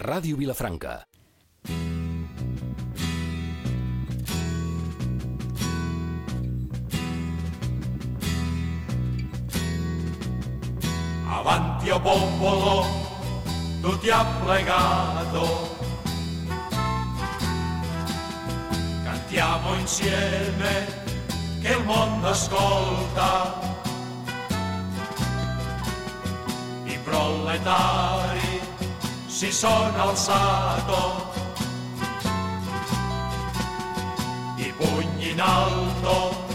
Ràdio Vilafranca. Avanti o popolo, tutti applegato, cantiamo insieme che il mondo ascolta. I proletari si sono alzato, i pugni in alto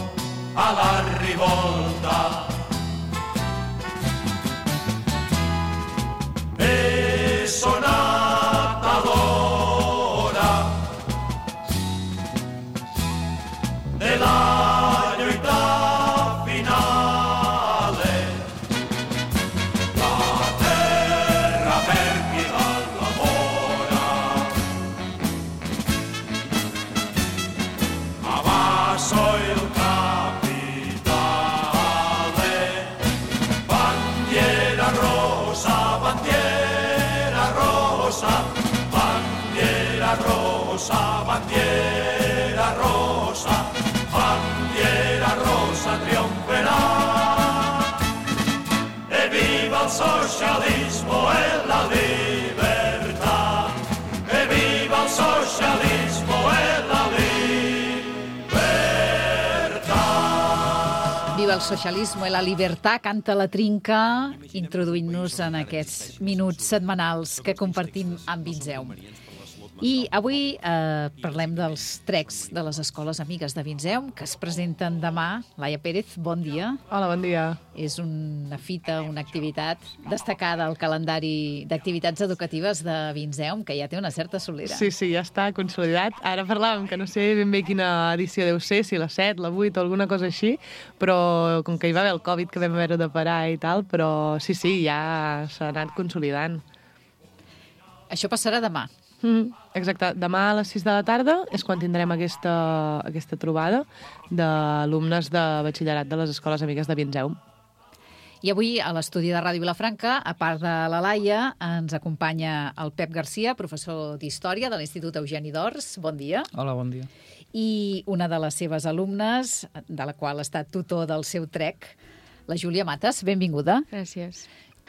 alla rivolta. È sonata l'ora della verità finale, la terra per chi la lavora, a vaso il capitale, bandiera rosa, bandiera rosa, bandiera rosa, bandiera rosa, bandiera rosa trionferà. E viva il socialismo e la libertà, e viva il socialismo e la libertà. Viva el socialisme i la llibertat, canta la Trinca, introduint-nos en aquests minuts setmanals que compartim amb Vinzeum. I avui parlem dels trecs de les escoles amigues de Vinzeum, que es presenten demà. Laia Pérez, bon dia. Hola, bon dia. És una fita, una activitat destacada al calendari d'activitats educatives de Vinzeum, que ja té una certa solera. Sí, ja està consolidat. Ara parlàvem que no sé ben bé quina edició deu ser, si la 7, la 8 o alguna cosa així, però com que hi va haver el Covid que vam haver de parar i tal, però sí, ja s'ha anat consolidant. Això passarà demà. Exacte. Demà a les 6 de la tarda és quan tindrem aquesta trobada d'alumnes de batxillerat de les escoles amigues de Vinzeum. I avui a l'estudi de Ràdio Vilafranca, a part de la Laia, ens acompanya el Pep Garcia, professor d'Història de l'Institut Eugeni d'Ors. Bon dia. Hola, bon dia. I una de les seves alumnes, de la qual ha estat tutor del seu trec, la Júlia Mates. Benvinguda. Gràcies.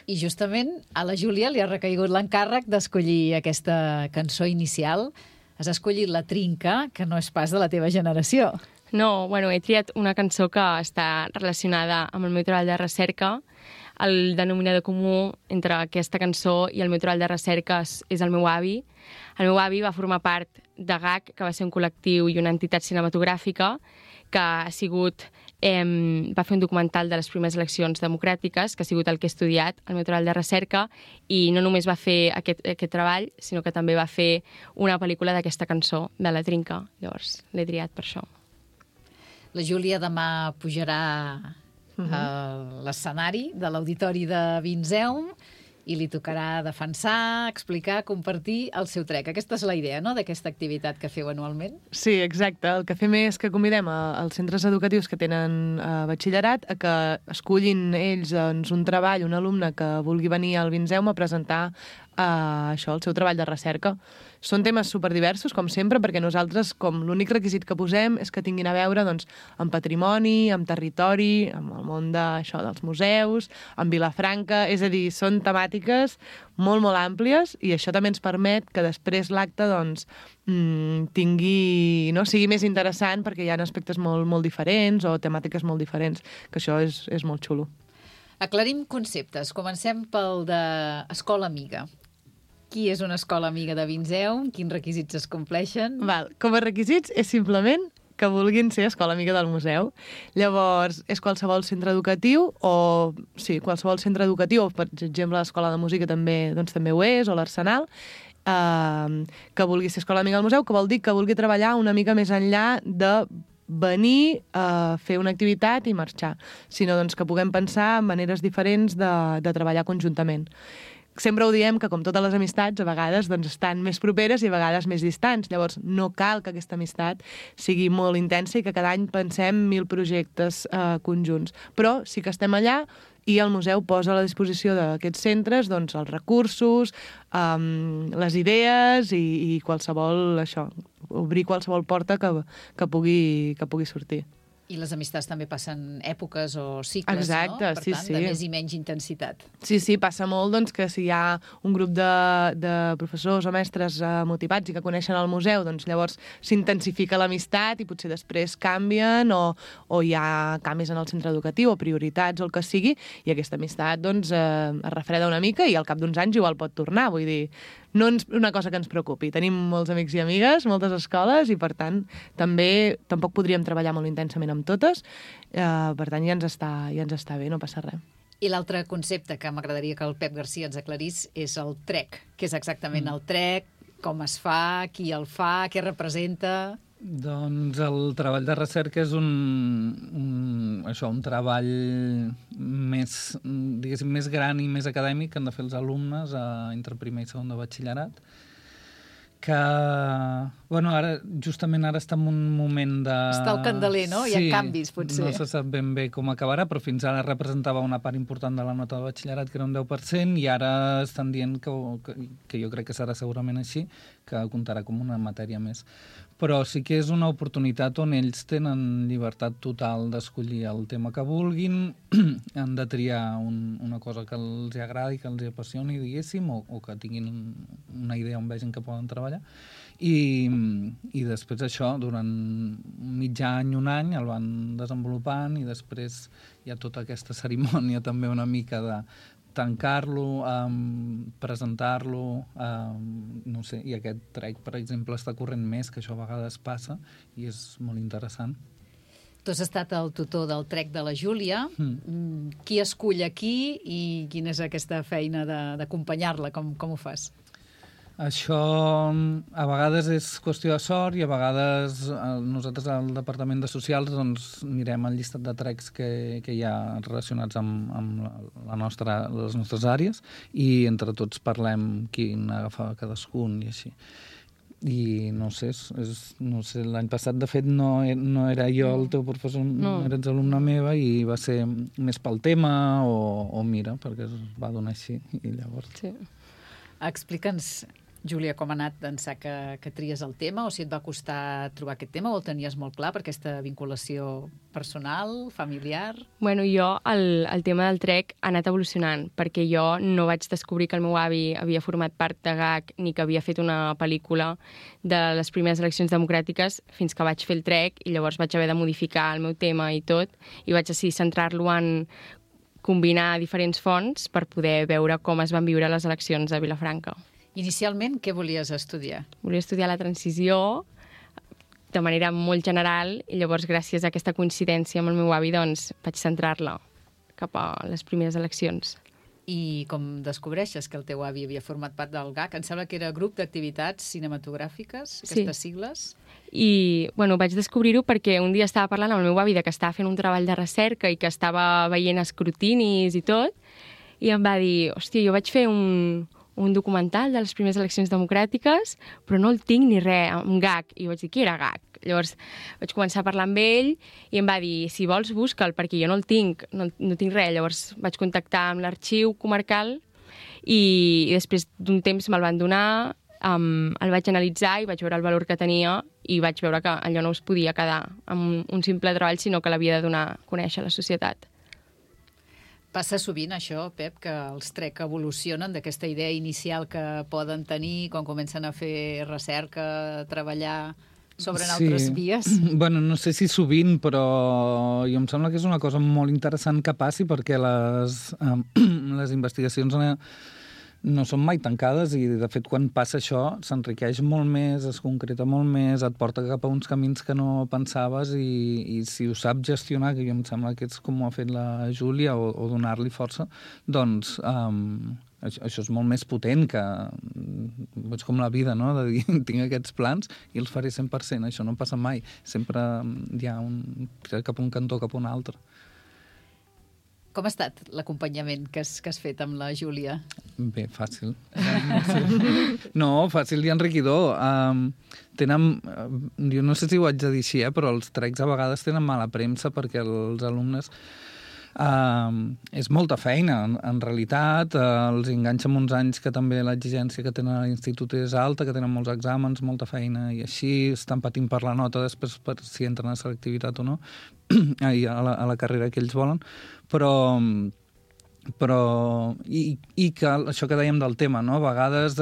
I justament a la Júlia li ha recaigut l'encàrrec d'escollir aquesta cançó inicial. Has escollit la Trinca, que no és pas de la teva generació. No, he triat una cançó que està relacionada amb el meu treball de recerca. El denominador comú entre aquesta cançó i el meu treball de recerca és el meu avi. El meu avi va formar part de GAC, que va ser un col·lectiu i una entitat cinematogràfica que va fer un documental de les primeres eleccions democràtiques, que ha sigut el que he estudiat, el meu treball de recerca, i no només va fer aquest treball, sinó que també va fer una pel·lícula d'aquesta cançó, de la Trinca. Llavors, l'he triat per això. La Júlia demà pujarà a l'escenari de l'Auditori de Vinzeum i li tocarà defensar, explicar, compartir el seu trec. Aquesta és la idea, no?, d'aquesta activitat que feu anualment. Sí, exacte. El que fem és que convidem als centres educatius que tenen batxillerat a que escullin ells un treball, un alumne que vulgui venir al Vinzeum a presentar això, el seu treball de recerca. Són temes superdiversos, com sempre, perquè nosaltres, com l'únic requisit que posem és que tinguin a veure amb patrimoni, amb territori, amb el món dels museus, amb Vilafranca, és a dir, són temàtiques molt, molt àmplies i això també ens permet que després l'acte sigui més interessant perquè hi ha aspectes molt, molt diferents o temàtiques molt diferents, que això és molt xulo. Aclarim conceptes. Comencem pel d'escola amiga. Qui és una escola amiga de Vinzeum? Quins requisits es compleixen? Com a requisits és simplement que vulguin ser escola amiga del museu. Llavors, és qualsevol centre educatiu o per exemple l'escola de música també ho és, o l'Arsenal, que vulgui ser escola amiga del museu, que vol dir que vulgui treballar una mica més enllà de venir a fer una activitat i marxar, sinó que puguem pensar en maneres diferents de treballar conjuntament. sempre ho diem que, com totes les amistats, a vegades doncs, estan més properes i a vegades més distants. Llavors, no cal que aquesta amistat sigui molt intensa i que cada any pensem 1000 projectes conjunts. Però sí que estem allà i el museu posa a la disposició d'aquests centres doncs, els recursos, les idees i qualsevol, obrir qualsevol porta que pugui sortir. I les amistats també passen èpoques o cicles, exacte, no? Per tant, sí. de més i menys intensitat. Sí, passa molt doncs, que si hi ha un grup de professors o mestres motivats i que coneixen el museu, doncs llavors s'intensifica l'amistat i potser després canvien o hi ha canvis en el centre educatiu o prioritats o el que sigui, i aquesta amistat doncs, es refreda una mica i al cap d'uns anys igual pot tornar. Vull dir, no és una cosa que ens preocupi. Tenim molts amics i amigues, moltes escoles, i per tant tampoc podríem treballar molt intensament amb totes, per tant ja ens està bé, no passa res. I l'altre concepte que m'agradaria que el Pep Garcia ens aclarís és el TREC. Què és exactament el TREC? Com es fa? Qui el fa? Què representa? Doncs el treball de recerca és un treball més, diguéssim, més gran i més acadèmic que han de fer els alumnes entre primer i segon de batxillerat, que, bueno, justament ara està en un moment de... Està al candeler, no? Hi ha canvis, potser. No se sap ben bé com acabarà, però fins ara representava una part important de la nota de batxillerat, que era un 10%, i ara estan dient que jo crec que serà segurament així, que comptarà com una matèria més. Però sí que és una oportunitat on ells tenen llibertat total d'escollir el tema que vulguin, han de triar una cosa que els agradi, que els apassioni, diguéssim, o que tinguin una idea on vegin que poden treballar. I després això, durant mig any, un any, el van desenvolupant, i després hi ha tota aquesta cerimònia també una mica de tancar-lo, presentar-lo, no sé, i aquest TREC, per exemple, està corrent més, que això a vegades passa, i és molt interessant. Tu has estat el tutor del TREC de la Júlia. Qui escull aquí i quina és aquesta feina d'acompanyar-la? Com ho fas? Això a vegades és qüestió de sort i a vegades nosaltres al Departament de Socials doncs, mirem el llistat de TRECs que hi ha relacionats amb les nostres àrees i entre tots parlem quin agafa cadascun i així. I no sé, l'any passat de fet no era jo el teu professor, no eres alumna meva i va ser més pel tema o mira, perquè es va donar així i llavors... Sí. Explica'ns, Júlia, com ha anat d'ençà que tries el tema, o si et va costar trobar aquest tema, o el tenies molt clar per aquesta vinculació personal, familiar? Bueno, jo el tema del TREC ha anat evolucionant, perquè jo no vaig descobrir que el meu avi havia format part de GAC ni que havia fet una pel·lícula de les primeres eleccions democràtiques fins que vaig fer el TREC i llavors vaig haver de modificar el meu tema i tot, i vaig decidir centrar-lo en combinar diferents fonts per poder veure com es van viure les eleccions a Vilafranca. Inicialment, què volies estudiar? Volia estudiar la transició de manera molt general i llavors, gràcies a aquesta coincidència amb el meu avi, doncs, vaig centrar-la cap a les primeres eleccions. I com descobreixes que el teu avi havia format part del GAC? Em sembla que era Grup d'Activitats Cinematogràfiques, aquestes sigles. I, bueno, vaig descobrir-ho perquè un dia estava parlant amb el meu avi de que estava fent un treball de recerca i que estava veient escrutinis i tot, i em va dir, hòstia, jo vaig fer un documental de les primeres eleccions democràtiques, però no el tinc ni res, amb GAC. I vaig dir, qui era GAC? Llavors vaig començar a parlar amb ell i em va dir, si vols, busca'l, perquè jo no el tinc, no tinc res. Llavors vaig contactar amb l'arxiu comarcal i després d'un temps me'l van donar, el vaig analitzar i vaig veure el valor que tenia i vaig veure que allò no es podia quedar amb un simple treball, sinó que l'havia de donar a conèixer a la societat. Passa sovint això, Pep, que els TREC evolucionen d'aquesta idea inicial que poden tenir quan comencen a fer recerca, a treballar sobre altres vies? Bueno, no sé si sovint, però jo em sembla que és una cosa molt interessant que passi perquè les investigacions no són mai tancades i, de fet, quan passa això s'enriqueix molt més, es concreta molt més, et porta cap a uns camins que no pensaves i si ho sap gestionar, que jo em sembla que és com ho ha fet la Júlia, o donar-li força, doncs això és molt més potent que... És com la vida, no?, de dir, tinc aquests plans i els faré 100%, això no passa mai. Sempre hi ha cap a un cantó, cap a un altre. Com ha estat l'acompanyament que has fet amb la Júlia? Bé, fàcil. No, fàcil i enriquidor. Jo no sé si ho haig de dir així, però els trecs a vegades tenen mala premsa perquè els alumnes... és molta feina, en realitat. Els enganxa amb uns anys que també l'exigència que tenen a l'institut és alta, que tenen molts exàmens, molta feina, i així estan patint per la nota després per si entren a selectivitat o no, a la carrera que ells volen, però i que això que dèiem del tema, no? A vegades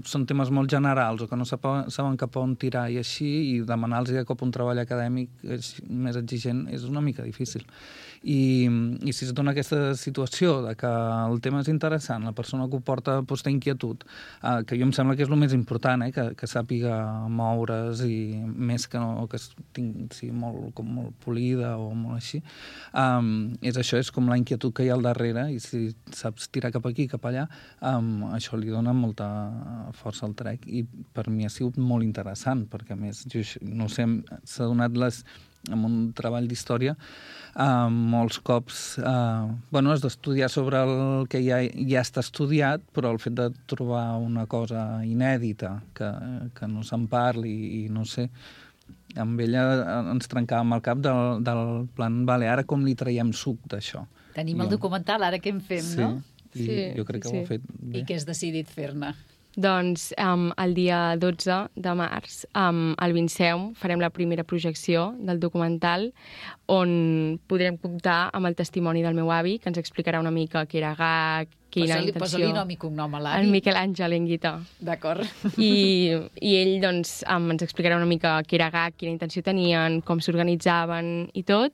són temes molt generals o que no saben cap on tirar i així, i demanar-los de cop un treball acadèmic més exigent és una mica difícil. I si es dona aquesta situació de que el tema és interessant, la persona que ho porta té inquietud, que jo em sembla que és el més important, que sàpiga moure's, i més que no que sigui molt polida o molt així, és això, és com la inquietud que hi ha al darrere, i si saps tirar cap aquí, cap allà, això li dona molta força al trec, i per mi ha sigut molt interessant, perquè a més, jo no sé, s'ha donat en un treball d'història, molts cops has d'estudiar sobre el que ja està estudiat, però el fet de trobar una cosa inèdita que no se'n parli, i no sé, amb ella ens trencàvem el cap del plan, vale, ara com li traiem suc d'això? Tenim el documental, ara què en fem, no? Sí, jo crec que ho ha fet bé. I què has decidit fer-ne? Doncs el dia 12 de març al Vinceum farem la primera projecció del documental, on podrem comptar amb el testimoni del meu avi, que ens explicarà una mica què era GAC, quina intenció... Posa-li nom i cognom a l'avi. El Miquel Àngel Enguita. D'acord. I ell doncs, ens explicarà una mica què era GAC, quina intenció tenien, com s'organitzaven i tot.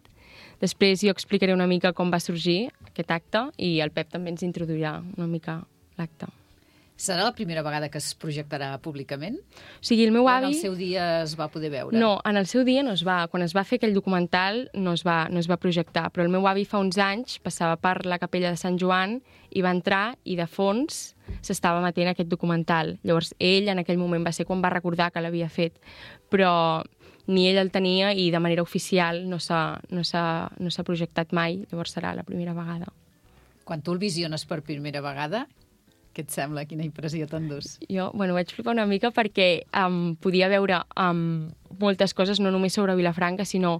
Després jo explicaré una mica com va sorgir aquest acte, i el Pep també ens introduirà una mica l'acte. Serà la primera vegada que es projectarà públicament? O sigui, el meu avi... O en el seu dia es va poder veure? No, en el seu dia no es va. Quan es va fer aquell documental no es va projectar, però el meu avi fa uns anys passava per la capella de Sant Joan i va entrar, i de fons s'estava emetent aquest documental. Llavors ell en aquell moment va ser quan va recordar que l'havia fet, però ni ell el tenia, i de manera oficial no s'ha projectat mai, llavors serà la primera vegada. Quan tu el visiones per primera vegada, què et sembla? Quina impressió t'endús? Jo, vaig flipar una mica perquè podia veure moltes coses, no només sobre Vilafranca, sinó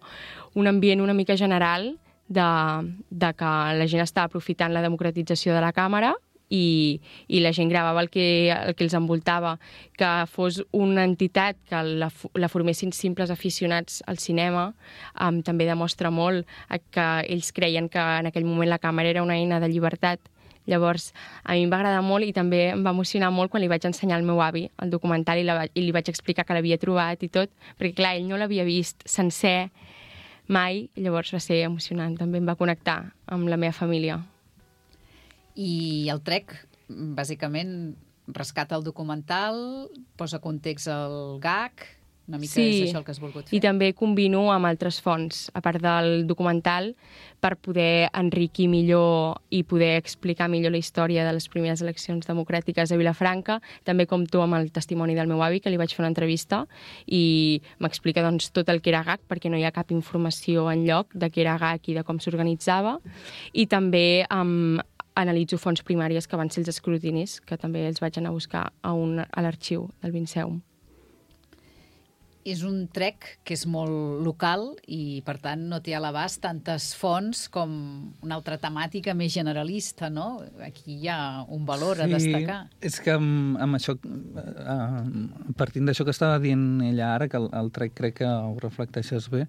un ambient una mica general de que la gent està aprofitant la democratització de la càmera, i la gent gravava el que els envoltava. Que fos una entitat que la formessin simples aficionats al cinema també demostra molt que ells creien que en aquell moment la càmera era una eina de llibertat. Llavors, a mi em va agradar molt, i també em va emocionar molt quan li vaig ensenyar al meu avi el documental, i li vaig explicar que l'havia trobat i tot, perquè clar, ell no l'havia vist sencer mai, i llavors va ser emocionant, també em va connectar amb la meva família. I el Trec, bàsicament, rescata el documental, posa context al GAC, una mica és això el que has volgut fer. I també combino amb altres fonts, a part del documental, per poder enriquir millor i poder explicar millor la història de les primeres eleccions democràtiques a Vilafranca. També compto amb el testimoni del meu avi, que li vaig fer una entrevista, i m'explica tot el que era GAC, perquè no hi ha cap informació enlloc de què era GAC i de com s'organitzava. I també analitzo fonts primàries, que van ser els escrutinis, que també els vaig anar a buscar a l'arxiu del Vinceum. És un Trec que és molt local i, per tant, no té a l'abast tantes fonts com una altra temàtica més generalista, no? Aquí hi ha un valor a destacar. Sí, és que amb això, partint d'això que estava dient ella ara, que el Trec crec que ho reflecteixes bé,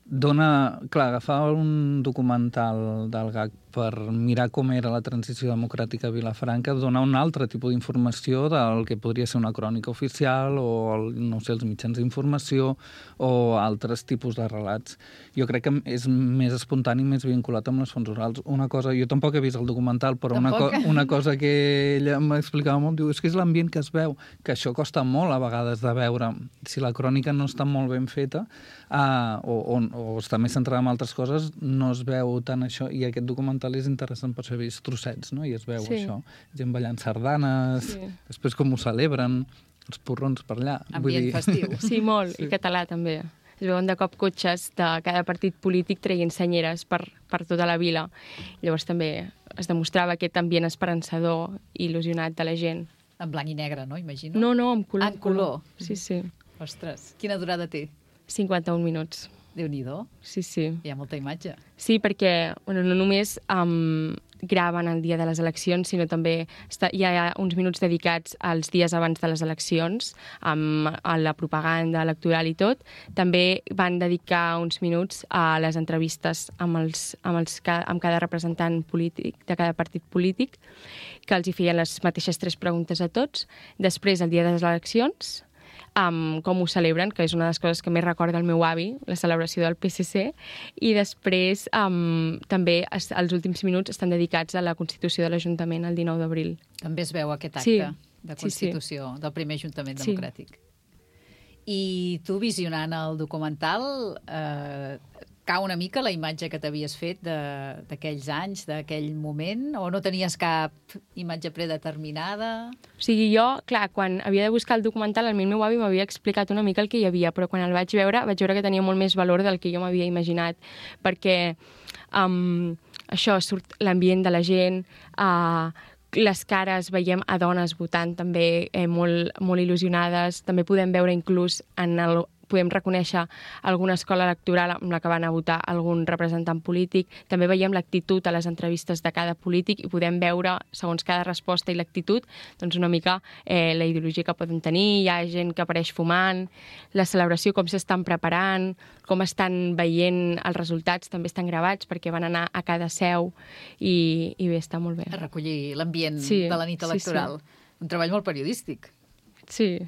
agafar un documental del GAC per mirar com era la transició democràtica a Vilafranca, donar un altre tipus d'informació del que podria ser una crònica oficial o, no sé, els mitjans d'informació o altres tipus de relats. Jo crec que és més espontani, més vinculat amb les fonts orals. Una cosa, jo tampoc he vist el documental, però una cosa que ella m'explicava molt, diu, és que és l'ambient que es veu, que això costa molt a vegades de veure. Si la crònica no està molt ben feta o està més centrada en altres coses, no es veu tant això, i aquest documental és interessant per saber trossets, no? I es veu això. Gent ballant sardanes, després com ho celebren, els porrons per allà. Ambient festiu. Sí, molt, i català també. es veuen de cop cotxes de cada partit polític traient senyeres per tota la vila. Llavors també es demostrava aquest ambient esperançador i il·lusionat de la gent. En blanc i negre, no? Imagino. No, en color. En color. Sí, sí. Ostres, quina durada té? 51 minuts. Déu-n'hi-do. Sí, sí. Hi ha molta imatge. Sí, perquè no només graven el dia de les eleccions, sinó també hi ha uns minuts dedicats als dies abans de les eleccions, a la propaganda electoral i tot. També van dedicar uns minuts a les entrevistes amb cada representant polític, de cada partit polític, que els hi feien les mateixes 3 preguntes a tots. Després, el dia de les eleccions, com ho celebren, que és una de les coses que més recorda el meu avi, la celebració del PSC, i després també els últims minuts estan dedicats a la Constitució de l'Ajuntament el 19 d'abril. També es veu aquest acte de Sí. Constitució del primer Ajuntament Democràtic. I tu, visionant el documental, cau una mica la imatge que t'havies fet d'aquells anys, d'aquell moment, o no tenies cap imatge predeterminada? O sigui, jo, clar, quan havia de buscar el documental, el meu avi m'havia explicat una mica el que hi havia, però quan el vaig veure que tenia molt més valor del que jo m'havia imaginat, perquè això, surt l'ambient de la gent, les cares, veiem a dones votant també molt il·lusionades, també podem veure inclús podem reconèixer alguna escola electoral amb la que van a votar algun representant polític. També veiem l'actitud a les entrevistes de cada polític i podem veure, segons cada resposta i l'actitud, doncs una mica la ideologia que poden tenir. Hi ha gent que apareix fumant, la celebració, com s'estan preparant, com estan veient els resultats, també estan gravats perquè van anar a cada seu i bé, està molt bé. A recollir l'ambient de la nit electoral. Sí. Un treball molt periodístic. Sí.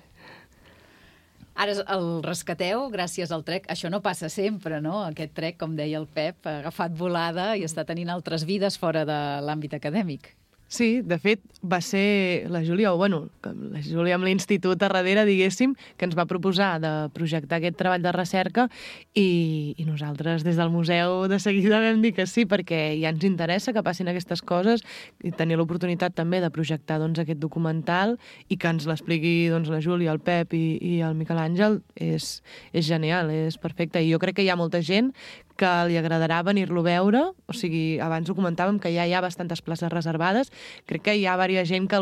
Ara el rescateu gràcies al trek. Això no passa sempre, no? Aquest trek, com deia el Pep, ha agafat volada i està tenint altres vides fora de l'àmbit acadèmic. Sí, de fet, va ser la Júlia, la Júlia amb l'Institut a darrere, diguéssim, que ens va proposar de projectar aquest treball de recerca i nosaltres des del museu de seguida vam dir que sí, perquè ja ens interessa que passin aquestes coses i tenir l'oportunitat també de projectar aquest documental i que ens l'expliqui la Júlia, el Pep i el Miquel Àngel és genial, és perfecte. I jo crec que hi ha molta gent que li agradarà venir-lo a veure, o sigui, abans ho comentàvem que ja hi ha bastantes places reservades, crec que hi ha diversa gent que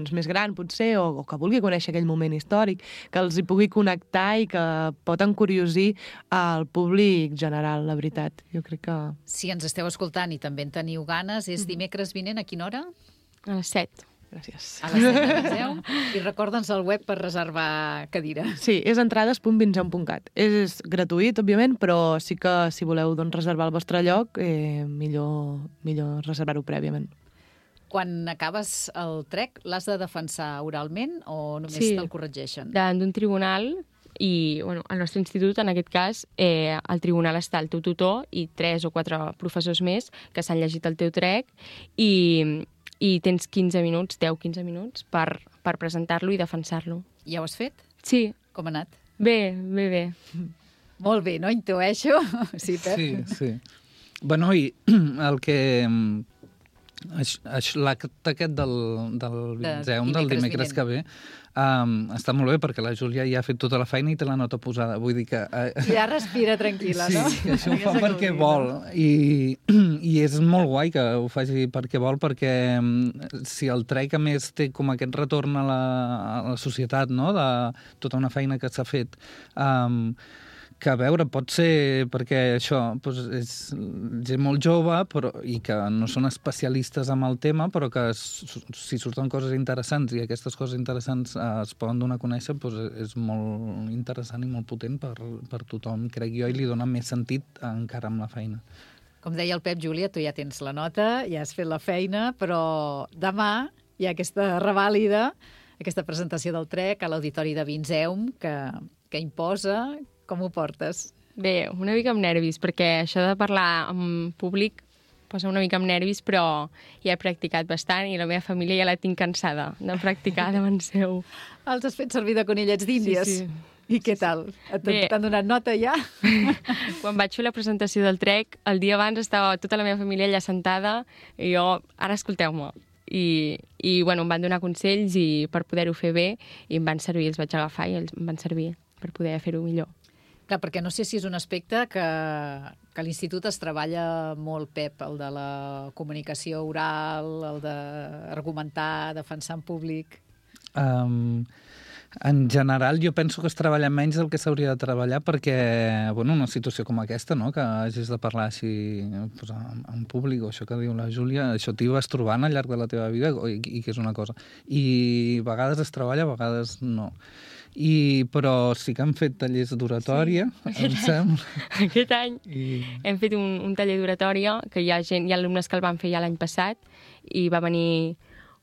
més gran potser, o que vulgui conèixer aquell moment històric, que els hi pugui connectar i que pot encuriosir al públic general, la veritat. Jo crec que... Si ens esteu escoltant i també en teniu ganes, és dimecres vinent, a quina hora? A les 7. Gràcies. A les 7 de Vinzeu. I recorda'ns el web per reservar cadira. Sí, és entrades.vinzeu.cat. És gratuït, òbviament, però sí que si voleu reservar el vostre lloc, millor reservar-ho prèviament. Quan acabes el trek, l'has de defensar oralment o només te'l corregeixen? Davant d'un tribunal i al nostre institut, en aquest cas, al tribunal està el teu tutor i 3 o 4 professors més que s'han llegit el teu trek i tens 15 minuts, 10-15 minuts per presentar-lo i defensar-lo. Ja ho has fet? Sí. Com ha anat? Bé. Molt bé, no? Intueixo. Sí, Pep? Sí. Bueno, i el que... L'acte aquest del Vinzeum, del dimecres que ve, està molt bé perquè la Júlia ja ha fet tota la feina i té la nota posada. Vull dir que... Ja respira tranquil·la, no? Sí, que això ho fa perquè vol. I és molt guai que ho faci perquè vol, perquè si el trek, a més, té com aquest retorn a la societat, no?, de tota una feina que s'ha fet, que, a veure, pot ser perquè això és gent molt jove i que no són especialistes en el tema, però que si surten coses interessants i aquestes coses interessants es poden donar a conèixer, és molt interessant i molt potent per tothom, crec jo, i li dona més sentit encara amb la feina. Com deia el Pep, Júlia, tu ja tens la nota, ja has fet la feina, però demà hi ha aquesta revàlida, aquesta presentació del trek a l'Auditori de Vinzeum que imposa. Com ho portes? Bé, una mica amb nervis, perquè això de parlar en públic posa una mica amb nervis, però ja he practicat bastant i la meva família ja la tinc cansada de practicar davant seu. Els has fet servir de conillets d'Índies? Sí. I què tal? T'han donat nota ja? Quan vaig fer la presentació del trek, el dia abans estava tota la meva família allà sentada i jo, ara escolteu-me. I em van donar consells per poder-ho fer bé i em van servir, els vaig agafar i em van servir per poder fer-ho millor. Clar, perquè no sé si és un aspecte que a l'institut es treballa molt, Pep, el de la comunicació oral, el d'argumentar, defensar en públic. En general, jo penso que es treballa menys del que s'hauria de treballar perquè, bueno, una situació com aquesta, no?, que hagis de parlar així pues, en públic, o això que diu la Júlia, això t'hi vas trobant al llarg de la teva vida i que és una cosa. I a vegades es treballa, a vegades no. Però sí que han fet tallers d'oratòria, em sembla. Aquest any hem fet un taller d'oratòria, que hi ha alumnes que el van fer ja l'any passat, i va venir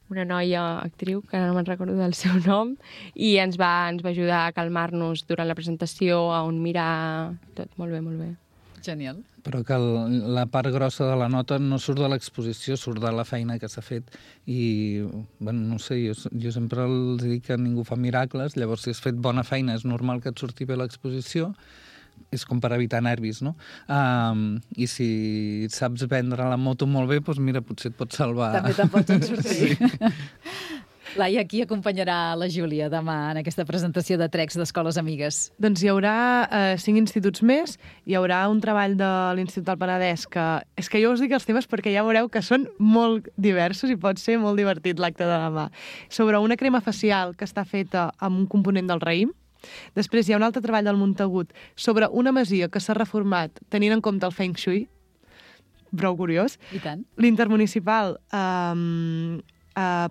una noia actriu, que ara no me'n recordo del seu nom, i ens va ajudar a calmar-nos durant la presentació, a on mirar, tot molt bé, molt bé. Genial. Però que la part grossa de la nota no surt de l'exposició, surt de la feina que s'ha fet. I, bueno, no sé, jo sempre els dic que ningú fa miracles, llavors si has fet bona feina és normal que et surti bé l'exposició, és com per evitar nervis, no? I si saps vendre la moto molt bé, doncs mira, potser et pot salvar. També te'n pots sortir. Sí. Laia, qui acompanyarà la Júlia demà en aquesta presentació de Trecs d'Escoles Amigues? Doncs hi haurà 5 instituts més, hi haurà un treball de l'Institut del Penedès, que és que jo us dic els temes perquè ja veureu que són molt diversos i pot ser molt divertit l'acte de demà. Sobre una crema facial que està feta amb un component del raïm. Després hi ha un altre treball del Montagut sobre una masia que s'ha reformat tenint en compte el Feng Shui, prou curiós. I tant. L'Intermunicipal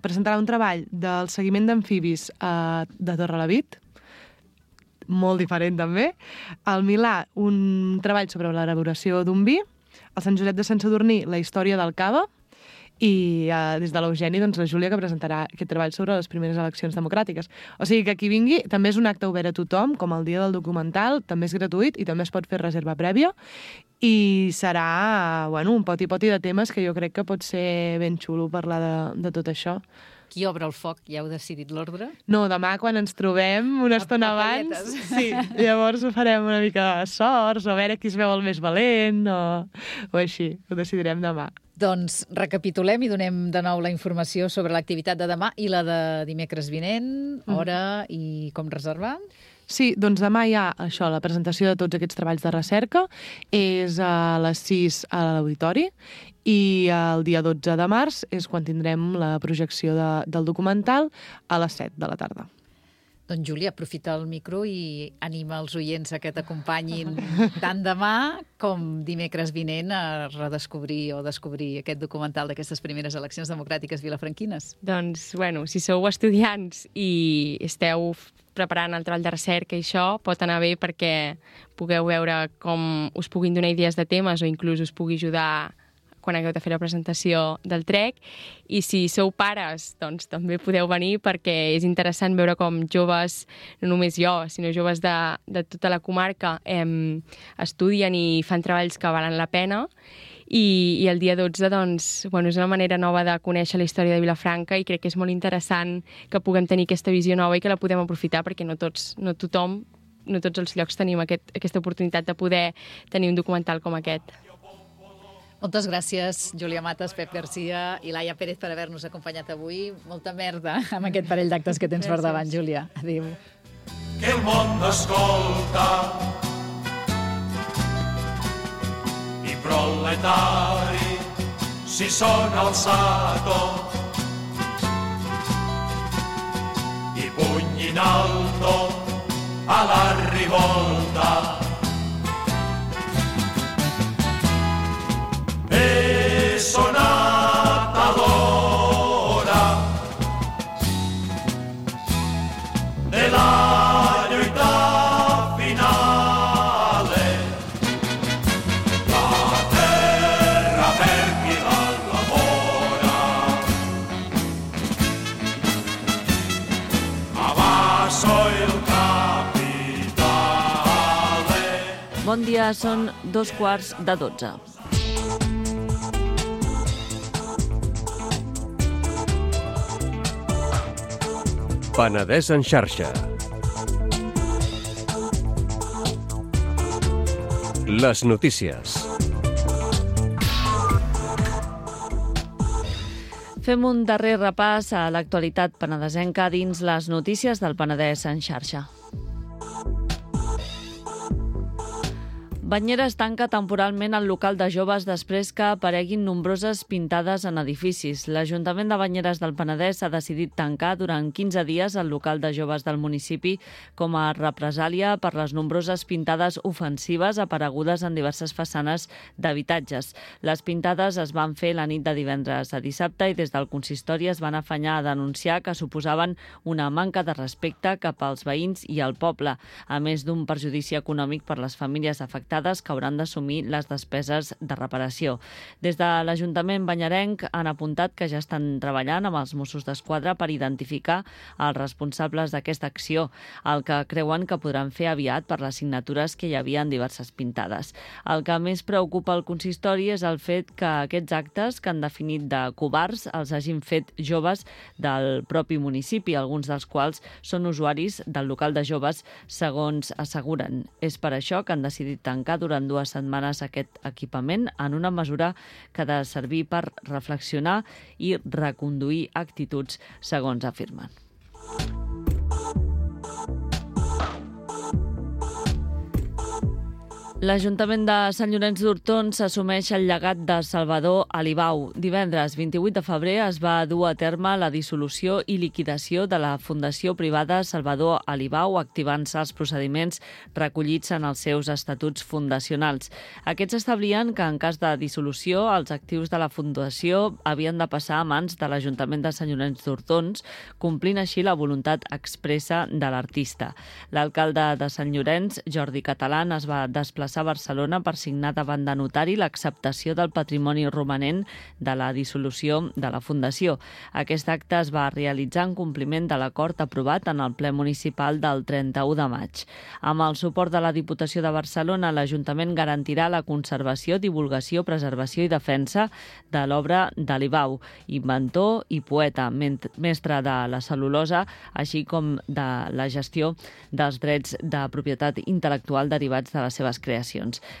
presentarà un treball del seguiment d'amfibis de Torrelavit, molt diferent també. Al Milà, un treball sobre l'elaboració d'un vi. Al Sant Josep de Sant Sadurní, la història del cava. I des de l'Eugeni, doncs, la Júlia, que presentarà aquest treball sobre les primeres eleccions democràtiques. O sigui que qui vingui també és un acte obert a tothom, com el dia del documental, també és gratuït i també es pot fer reserva prèvia. I serà, bueno, un poti-poti de temes que jo crec que pot ser ben xulo parlar de tot això. Qui obre el foc? Ja heu decidit l'ordre? No, demà quan ens trobem una estona abans, sí, llavors ho farem una mica de sorts, o a veure qui es veu el més valent, o així, ho decidirem demà. Doncs recapitulem i donem de nou la informació sobre l'activitat de demà i la de dimecres vinent, hora i com reservar. Sí, doncs demà hi ha això, la presentació de tots aquests treballs de recerca, és a les 6 a l'auditori, i el dia 12 de març és quan tindrem la projecció del documental a les 7 de la tarda. Doncs, Júlia, aprofita el micro i anima els oients a que t'acompanyin tant demà com dimecres vinent a redescobrir o descobrir aquest documental d'aquestes primeres eleccions democràtiques vilafranquines. Doncs, bueno, si sou estudiants i esteu preparant el treball de recerca i això, pot anar bé perquè pugueu veure com us puguin donar idees de temes o inclús us pugui ajudar quan hagueu de fer la presentació del TREC. I si sou pares, doncs també podeu venir perquè és interessant veure com joves, no només jo, sinó joves de tota la comarca, estudien i fan treballs que valen la pena. I el dia 12, doncs, bueno, és una manera nova de conèixer la història de Vilafranca i crec que és molt interessant que puguem tenir aquesta visió nova i que la podem aprofitar perquè no tots els llocs tenim aquesta oportunitat de poder tenir un documental com aquest. Moltes gràcies, Júlia Matas, Pep Garcia i Laia Pérez per haver-nos acompanyat avui. Molta merda amb aquest parell d'actes que tens per davant, Júlia. Adéu. Que el món escolta i proletari si són alçato i puny in alto a la rivolta. È sonata l'ora della lluita finale, la terra per chi la lavora, abasso il capitale. Bon dia, són 2:15. Penedès en xarxa. Les notícies. Fem un darrer repàs a l'actualitat penedesenca dins les notícies del Penedès en xarxa. Banyeres tanca temporalment el local de joves després que apareguin nombroses pintades en edificis. L'Ajuntament de Banyeres del Penedès ha decidit tancar durant 15 dies el local de joves del municipi com a represàlia per les nombroses pintades ofensives aparegudes en diverses façanes d'habitatges. Les pintades es van fer la nit de divendres a dissabte i des del consistori es van afanyar a denunciar que suposaven una manca de respecte cap als veïns i al poble, a més d'un perjudici econòmic per les famílies afectades que hauran d'assumir les despeses de reparació. Des de l'Ajuntament banyerenc han apuntat que ja estan treballant amb els Mossos d'Esquadra per identificar els responsables d'aquesta acció, el que creuen que podran fer aviat per les signatures que hi havia en diverses pintades. El que més preocupa el consistori és el fet que aquests actes que han definit de covards els hagin fet joves del propi municipi, alguns dels quals són usuaris del local de joves, segons asseguren. És per això que han decidit tancar durant 2 setmanes aquest equipament en una mesura que ha de servir per reflexionar i reconduir actituds, segons afirmen. L'Ajuntament de Sant Llorenç d'Hortons assumeix el llegat de Salvador Alibau. Divendres 28 de febrer es va dur a terme la dissolució i liquidació de la Fundació Privada Salvador Alibau, activant-se els procediments recollits en els seus estatuts fundacionals. Aquests establien que en cas de dissolució els actius de la Fundació havien de passar a mans de l'Ajuntament de Sant Llorenç d'Hortons, complint així la voluntat expressa de l'artista. L'alcalde de Sant Llorenç, Jordi Catalán, es va desplaçar a Barcelona per signar davant de notari l'acceptació del patrimoni romanent de la dissolució de la Fundació. Aquest acte es va realitzar en compliment de l'acord aprovat en el ple municipal del 31 de maig. Amb el suport de la Diputació de Barcelona, l'Ajuntament garantirà la conservació, divulgació, preservació i defensa de l'obra d'Alibau, inventor i poeta, mestre de la cel·lulosa, així com de la gestió dels drets de propietat intel·lectual derivats de les seves creacions.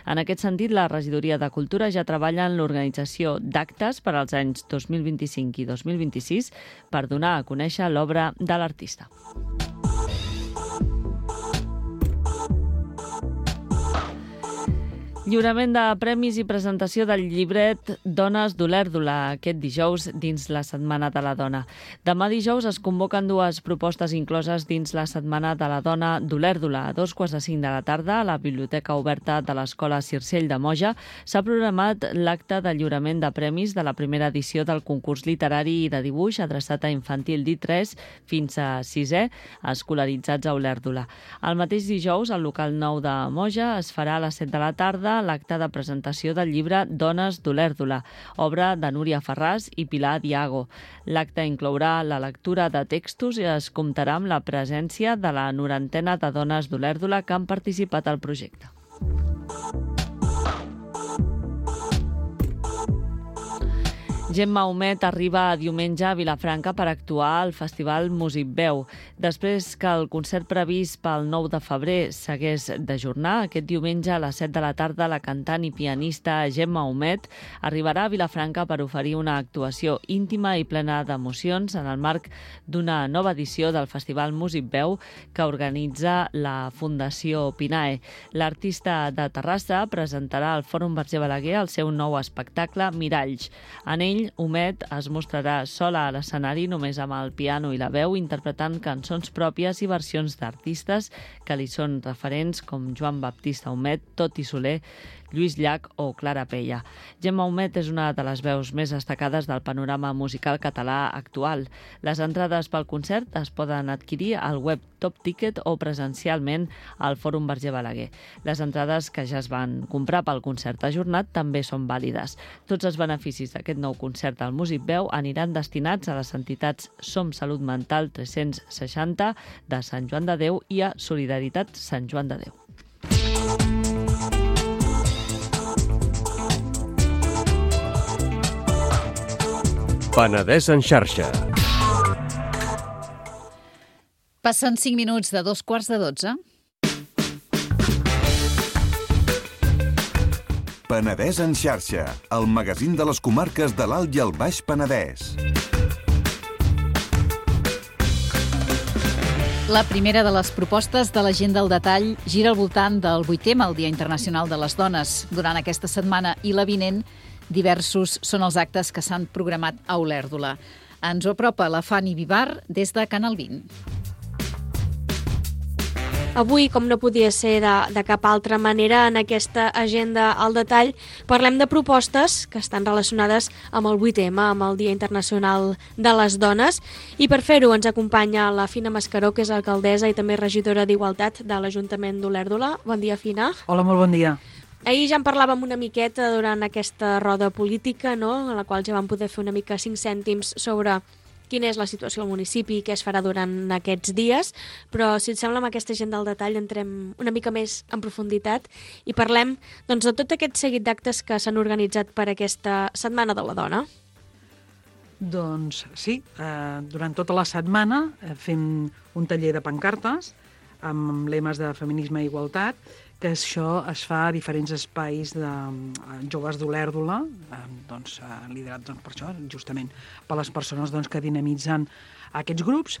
En aquest sentit, la Regidoria de Cultura ja treballa en l'organització d'actes per als anys 2025 i 2026 per donar a conèixer l'obra de l'artista. Lliurament de premis i presentació del llibret Dones d'Olèrdola aquest dijous dins la Setmana de la Dona. Demà dijous es convoquen 2 propostes incloses dins la Setmana de la Dona d'Olèrdola. A 2:45 de la tarda, a la Biblioteca Oberta de l'Escola Circell de Moja, s'ha programat l'acte de lliurament de premis de la primera edició del concurs literari i de dibuix adreçat a infantil d'I3 fins a 6è, escolaritzats a Olèrdola. El mateix dijous, al local 9 de Moja, es farà a les 7 de la tarda l'acte de presentació del llibre Dones d'Olèrdola, obra de Núria Ferràs i Pilar Diago. L'acte inclourà la lectura de textos i es comptarà amb la presència de la 90ena de dones d'Olèrdola que han participat al projecte. Gemma Humet arriba diumenge a Vilafranca per actuar al Festival Músic Veu. Després que el concert previst pel 9 de febrer s'hagués d'ajornar, aquest diumenge a les 7 de la tarda la cantant i pianista Gemma Humet arribarà a Vilafranca per oferir una actuació íntima i plena d'emocions en el marc d'una nova edició del Festival Músic Veu que organitza la Fundació Pinae. L'artista de Terrassa presentarà al Fòrum Verger Balaguer el seu nou espectacle Miralls. En ell, Humet es mostrarà sola a l'escenari només amb el piano i la veu, interpretant cançons pròpies i versions d'artistes que li són referents com Joan Baptista Humet, Toti Soler, Lluís Llach o Clara Pella. Gemma Humet és una de les veus més destacades del panorama musical català actual. Les entrades pel concert es poden adquirir al web Top Ticket o presencialment al Fòrum Verger Balaguer. Les entrades que ja es van comprar pel concert ajornat també són vàlides. Tots els beneficis d'aquest nou concert al Músic Veu aniran destinats a les entitats Som Salut Mental 360 de Sant Joan de Déu i a Solidaritat Sant Joan de Déu. Penedès en xarxa. Passen 5 minuts de 2:15. Penedès en xarxa, el magazín de les comarques de l'Alt i el Baix Penedès. La primera de les propostes de l'Agenda al detall gira al voltant del 8M, el Dia Internacional de les Dones. Durant aquesta setmana i la vinent, diversos són els actes que s'han programat a Olèrdola. Ens ho apropa la Fanny Vivar des de Canal 20. Avui, com no podia ser de cap altra manera, en aquesta agenda al detall, parlem de propostes que estan relacionades amb el 8M, amb el Dia Internacional de les Dones. I per fer-ho ens acompanya la Fina Mascaró, que és alcaldessa i també regidora d'Igualtat de l'Ajuntament d'Olèrdola. Bon dia, Fina. Hola, molt bon dia. Ahir ja en parlàvem una miqueta durant aquesta roda política, no?, en la qual ja vam poder fer una mica 5 cèntims sobre quina és la situació al municipi i què es farà durant aquests dies, però si et sembla amb aquesta agenda al detall entrem una mica més en profunditat i parlem doncs, de tot aquest seguit d'actes que s'han organitzat per aquesta Setmana de la Dona. Doncs sí, durant tota la setmana fem un taller de pancartes amb lemes de feminisme i igualtat, que això es fa a diferents espais de joves d'Olèrdola, doncs, liderat per això, justament per les persones que dinamitzen aquests grups.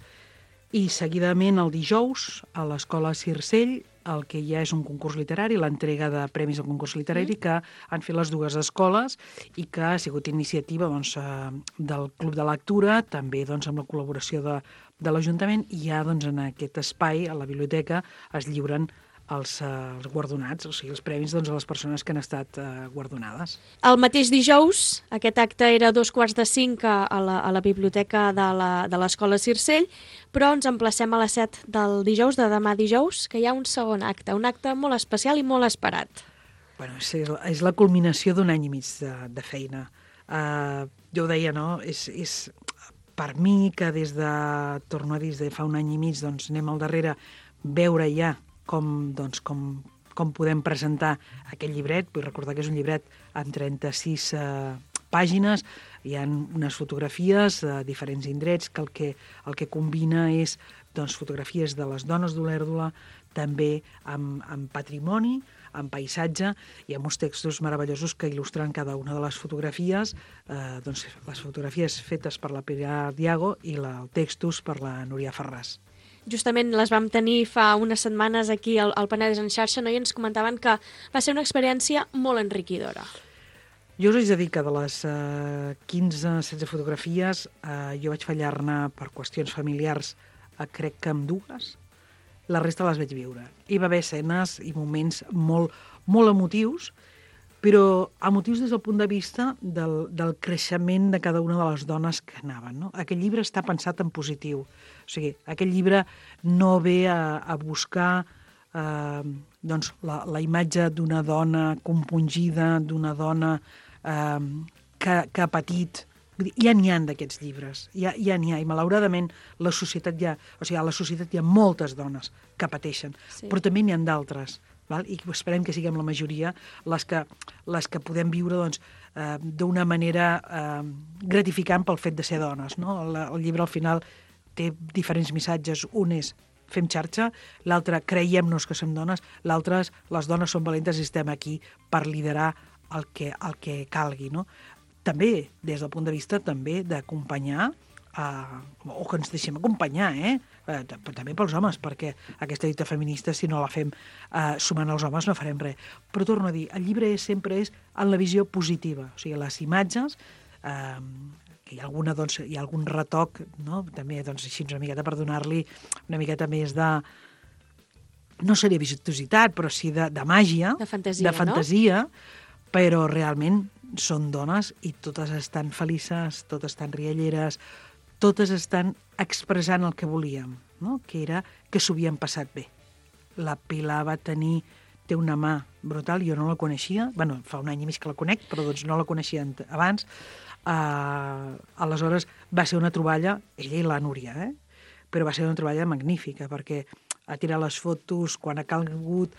I seguidament el dijous a l'Escola Circell el que hi ha és un concurs literari, l'entrega de premis al concurs literari que han fet les dues escoles i que ha sigut iniciativa del Club de Lectura, també amb la col·laboració de l'Ajuntament, i ja en aquest espai, a la biblioteca, es lliuren els guardonats, o sigui, els premis a les persones que han estat guardonades. El mateix dijous, aquest acte era a 4:45 a la biblioteca de l'Escola Circell, però ens emplacem a les 7 del dijous, de demà dijous, que hi ha un segon acte, un acte molt especial i molt esperat. Bueno, és la culminació d'un any i mig de feina. Jo ho deia, no?, és per mi que torno a dir, des de fa un any i mig, anem al darrere veure ja com podem presentar aquest llibret. Vull recordar que és un llibret amb 36 pàgines, hi ha unes fotografies de diferents indrets que el que combina és fotografies de les dones d'Olèrdola, també amb patrimoni, amb paisatge i amb uns textos meravellosos que il·lustren cada una de les fotografies, les fotografies fetes per la Pilar Diago i els textos per la Núria Ferràs. Justament les vam tenir fa unes setmanes aquí al Penedès en xarxa, no? I ens comentaven que va ser una experiència molt enriquidora. Jo us haig de dir que de les 15-16 fotografies jo vaig fallar-ne per qüestions familiars, crec que amb 2. La resta les vaig viure. Hi va haver escenes i moments molt, molt emotius, però emotius des del punt de vista del creixement de cada una de les dones que anaven, no? Aquest llibre està pensat en positiu. O sigui, aquest llibre no ve a buscar la imatge d'una dona compungida, d'una dona que ha patit. Ja n'hi ha d'aquests llibres, ja n'hi ha, i malauradament a la societat hi ha moltes dones que pateixen, sí. Però també n'hi ha d'altres, i esperem que siguem la majoria les que podem viure d'una manera gratificant pel fet de ser dones, no? El llibre al final té diferents missatges, un és fem xarxa, l'altre creiem-nos que som dones, l'altre les dones són valentes i estem aquí per liderar el que calgui, no? També, des del punt de vista també d'acompanyar, o que ens deixem acompanyar, també pels homes, perquè aquesta lluita feminista, si no la fem sumant els homes, no farem res. Però torno a dir, el llibre sempre és en la visió positiva, o sigui, les imatges, que hi ha algun retoc, no? També així una miqueta per donar-li una miqueta més de, no seria vistositat, però sí de màgia, de fantasia, no? Però realment són dones i totes estan felices, totes estan rialleres, totes estan expressant el que volíem, no? Que era que s'ho havien passat bé. La Pilar té una mà brutal, jo no la coneixia, fa un any i mig que la conec, però no la coneixia abans. Aleshores va ser una troballa, ella i la Núria, però va ser una troballa magnífica, perquè ha tirat les fotos quan ha calgut,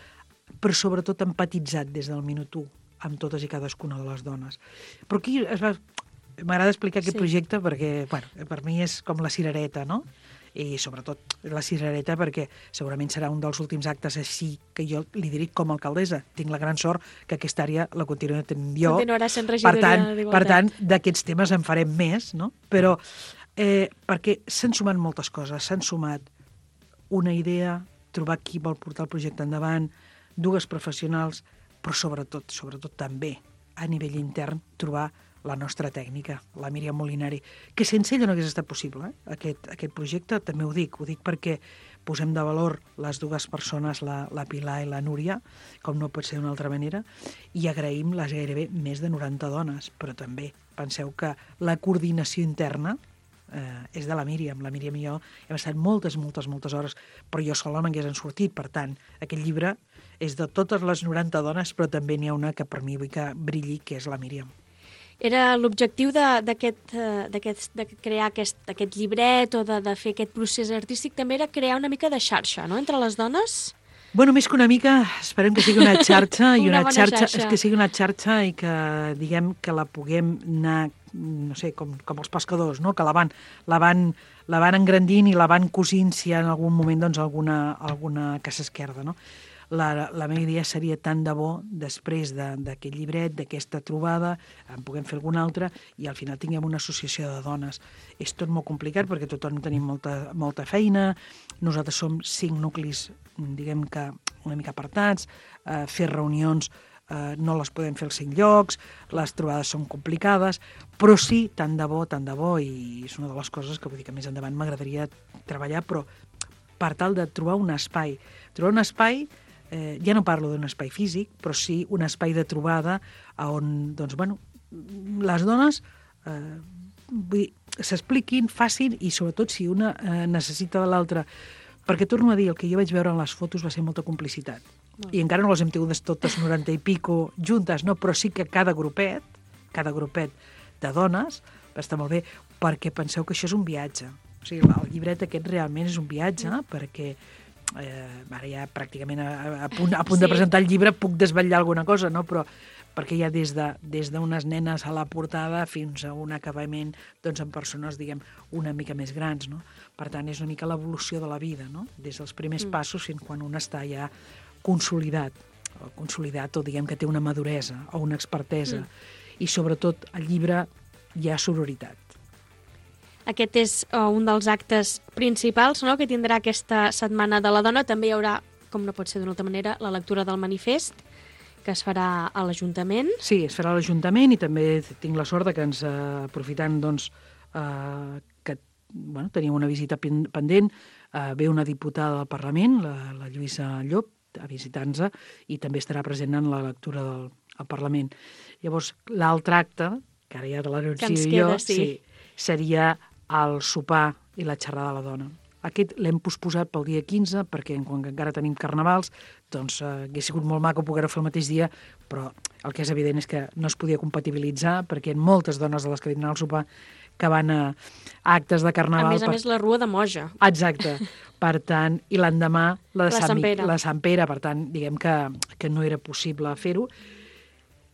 però sobretot empatitzat des del minut 1 amb totes i cadascuna de les dones. Però aquí m'agrada explicar aquest projecte perquè, per mi és com la cirereta, no? I sobretot la cirereta perquè segurament serà un dels últims actes així que jo li diré com a alcaldessa. Tinc la gran sort que aquesta àrea la continuaré tenint jo. Continuarà sent regidora d'Igualtat. Per tant, d'aquests temes en farem més, no? Però perquè s'han sumat moltes coses. S'han sumat una idea, trobar qui vol portar el projecte endavant, dues professionals, però sobretot també, a nivell intern, trobar la nostra tècnica, la Míriam Molinari, que sense ella no hagués estat possible. Aquest projecte, també ho dic perquè posem de valor les dues persones, la Pilar i la Núria, com no pot ser d'una altra manera, i agraïm les gairebé més de 90 dones, però també penseu que la coordinació interna és de la Míriam. La Míriam i jo hem estat moltes hores, però jo sola no m'hagués sortit. Per tant, aquest llibre és de totes les 90 dones, però també n'hi ha una que per mi vull que brilli, que és la Míriam. Era l'objectiu de crear aquest llibret o de fer aquest procés artístic, també era crear una mica de xarxa, no?, entre les dones? Bueno, més que una mica, esperem que sigui una xarxa, i Una bona xarxa. que sigui una xarxa i que, diguem, que la puguem anar, no sé, com els pescadors, no?, que la van engrandint i la van cosint si hi ha en algun moment doncs, alguna que s'esquerda, no? La meva idea seria tant de bo, després d'aquest llibret, d'aquesta trobada, en puguem fer alguna altra, i al final tinguem una associació de dones. És tot molt complicat perquè tothom tenim molta feina, nosaltres som 5 nuclis, diguem que una mica apartats, fer reunions no les podem fer als 5 llocs, les trobades són complicades, però sí, tant de bo, i és una de les coses que vull dir que més endavant m'agradaria treballar, però per tal de trobar un espai. Trobar un espai, ja no parlo d'un espai físic, però sí un espai de trobada on, doncs, bueno, les dones s'expliquin, facin, i sobretot si una necessita de l'altra. Perquè torno a dir, el que jo vaig veure en les fotos va ser molta complicitat. I encara no les hem tingut totes 90 i pico juntes, no? Però sí que cada grupet de dones va estar molt bé, perquè penseu que això és un viatge. O sigui, el llibret aquest realment és un viatge, perquè ara ja pràcticament a punt de presentar el llibre puc desvetllar alguna cosa, no? Però perquè hi ha des d'unes nenes a la portada fins a un acabament doncs, amb persones, diguem, una mica més grans, no? Per tant, és una mica l'evolució de la vida, no? Des dels primers passos fins quan un està ja consolidat o diguem que té una maduresa o una expertesa. I sobretot al llibre hi ha sororitat. Aquest és un dels actes principals, no?, que tindrà aquesta Setmana de la Dona. També hi haurà, com no pot ser d'una altra manera, la lectura del manifest, que es farà a l'Ajuntament. Sí, es farà a l'Ajuntament, i també tinc la sort que ens, aprofitant doncs, que tenim una visita pendent, ve una diputada del Parlament, la Lluïsa Llop, a visitar-nos, i també estarà present en la lectura del Parlament. Llavors, l'altre acte, que ara ja de l'anuncio jo, seria el sopar i la xerrada de la dona. Aquest l'hem posposat pel dia 15, perquè quan encara tenim carnavals, doncs hagués sigut molt maco poder-ho fer el mateix dia, però el que és evident és que no es podia compatibilitzar, perquè hi ha moltes dones de les que vindran al sopar que van a actes de carnaval. A més, la Rua de Moja. Exacte. Per tant, i l'endemà la Sant Pere. Per tant, diguem que no era possible fer-ho.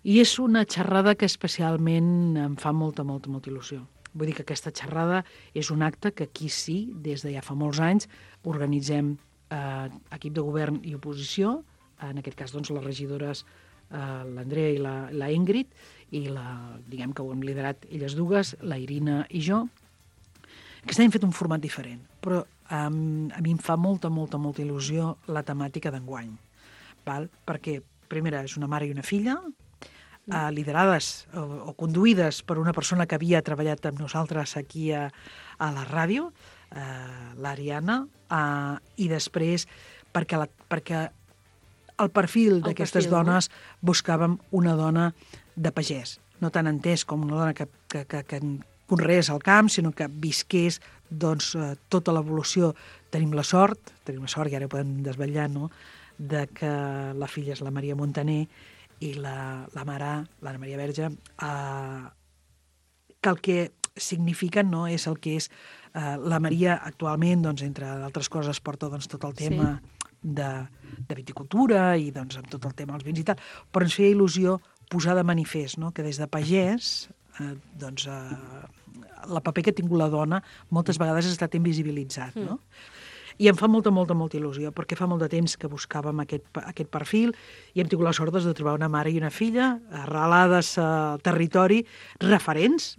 I és una xerrada que especialment em fa molta il·lusió. Vull dir que aquesta xerrada és un acte que aquí sí, des de ja fa molts anys, organitzem equip de govern i oposició, en aquest cas doncs, les regidores l'Andrea i la Ingrid, i diguem que ho hem liderat elles dues, la Irina i jo. Aquest any hem fet un format diferent, però a mi em fa molta il·lusió la temàtica d'enguany, perquè, primera, és una mare i una filla, liderades o conduïdes per una persona que havia treballat amb nosaltres aquí a la ràdio, l'Ariana, i després perquè el perfil d'aquestes dones buscàvem una dona de pagès, no tan entès com una dona que conreés al camp, sinó que visqués doncs, tota l'evolució. Tenim la sort, i ara ho podem desvetllar, no?, de que la filla és la Maria Montaner, i la mare, l'Anna Maria Verge, que el que signifiquen no és el que és la Maria actualment, doncs, entre d'altres coses, porta doncs, tot el tema de viticultura i doncs, amb tot el tema dels vins i tal, però ens feia il·lusió posar de manifest, no?, que des de pagès doncs, el paper que ha tingut la dona moltes vegades ha estat invisibilitzat, no? I em fa molta il·lusió, perquè fa molt de temps que buscàvem aquest perfil i hem tingut la sort de trobar una mare i una filla arrelades al territori, referents,